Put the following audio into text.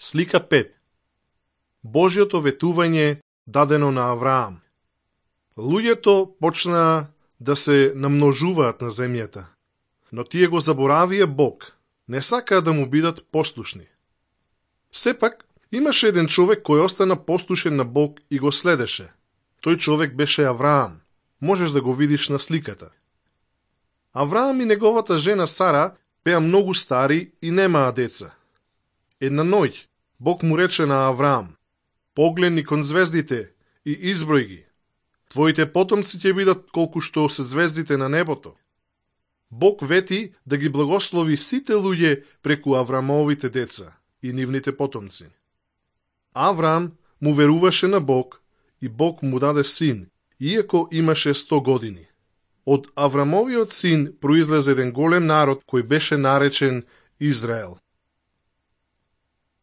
Слика 5. Божјото ветување дадено на Авраам. Луѓето почнаа да се намножуваат на земјата, но тие го заборавија Бог, не сакаа да му бидат послушни. Сепак, имаше еден човек кој остана послушен на Бог и го следеше. Тој човек беше Авраам. Можеш да го видиш на сликата. Авраам и неговата жена Сара беа многу стари и немаа деца. Една ноќ Бог му рече на Авраам: погледни кон звездите и изброј ги. Твоите потомци ќе бидат колку што се звездите на небото. Бог вети да ги благослови сите луѓе преку Авраамовите деца и нивните потомци. Авраам му веруваше на Бог и Бог му даде син, иако имаше 100 години. Од Авраамовиот син произлезе еден голем народ кој беше наречен Израел.